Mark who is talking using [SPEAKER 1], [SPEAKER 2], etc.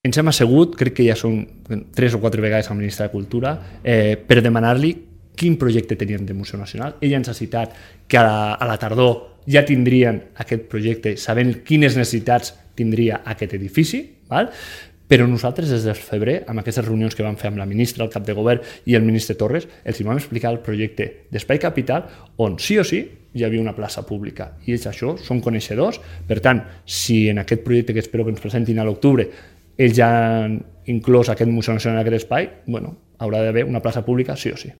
[SPEAKER 1] ens hem assegut, crec que ja són 3 o 4 vegades al ministre de Cultura, per demanar-li quin projecte tenien de Museu Nacional. Ella ens ha citat que a la tardor ja tindrien aquest projecte, sabent quines necessitats tindria aquest edifici, val? Però nosaltres des del febrer, amb aquestes reunions que vam fer amb la ministra, el cap de govern i el ministre Torres, els vam explicar el projecte d'Espai Capital, on sí o sí hi havia una plaça pública. I ells això són coneixedors. Per tant, si en aquest projecte que espero que ens presentin a l'octubre ells ja han inclòs aquest Museu Nacional en aquest espai, bueno, haurà d'haver una plaça pública sí o sí.